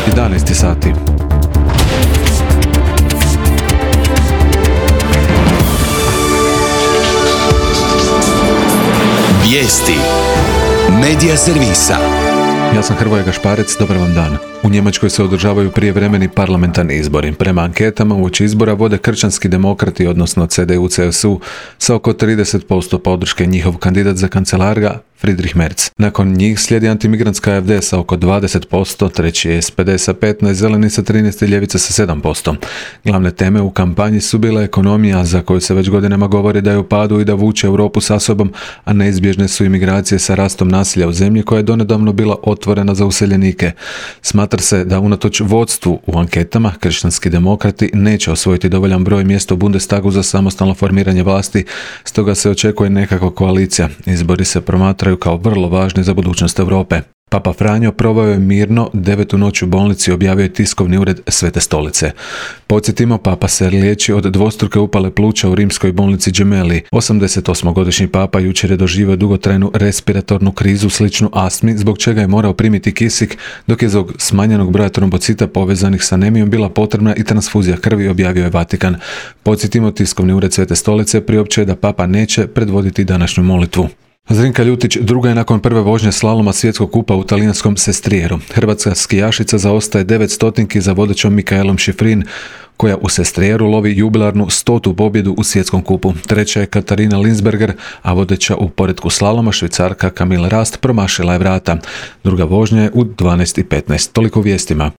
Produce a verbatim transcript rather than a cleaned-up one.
jedanaest sati. Vijesti Medija servisa. Ja sam Hrvoje Gašparec, dobar vam dan. U Njemačkoj se održavaju prijevremeni parlamentarni izbori. Prema anketama uoči izbora vode kršćanski demokrati, odnosno C D U C S U, sa oko trideset posto podrške. Njihov kandidat za kancelara Friedrich Merz. Nakon njih slijedi antimigrantska A F D sa oko dvadeset posto, treći je S P D sa petnaest, zeleni sa trinaest i ljevica sa sedam posto. Glavne teme u kampanji su bila ekonomija, za koju se već godinama govori da je u padu i da vuče Europu sa sobom, a neizbježne su imigracije sa rastom nasilja u zemlji koja je donedavno bila otvorena za useljenike. Smatra se da unatoč vodstvu u anketama kršćanski demokrati neće osvojiti dovoljan broj mjesta u Bundestagu za samostalno formiranje vlasti, stoga se očekuje nekakva koalicija. Izbori se promatraju kao vrlo važni za budućnost Europe. Papa Franjo proveo je mirno devetu noć u bolnici, objavio je tiskovni ured Svete stolice. Podsjetimo, papa se liječi od dvostruke upale pluća u rimskoj bolnici Gemelli. osamdesetosmogodišnji papa jučer je doživio dugotrajnu respiratornu krizu sličnu astmi, zbog čega je morao primiti kisik, dok je zbog smanjenog broja trombocita povezanih sa anemijom bila potrebna i transfuzija krvi, objavio je Vatikan. Podsjetimo, tiskovni ured Svete stolice priopćuje da papa neće predvoditi današnju molitvu. Zrinka Ljutić druga je nakon prve vožnje slaloma svjetskog kupa u talijanskom Sestrijeru. Hrvatska skijašica zaostaje devet stotinki za vodećom Mikaelom Šifrin, koja u Sestrijeru lovi jubilarnu stotu pobjedu u svjetskom kupu. Treća je Katarina Linsberger, a vodeća u poretku slaloma Švicarka Camille Rast promašila je vrata. Druga vožnja je u dvanaest i petnaest. Toliko vijestima.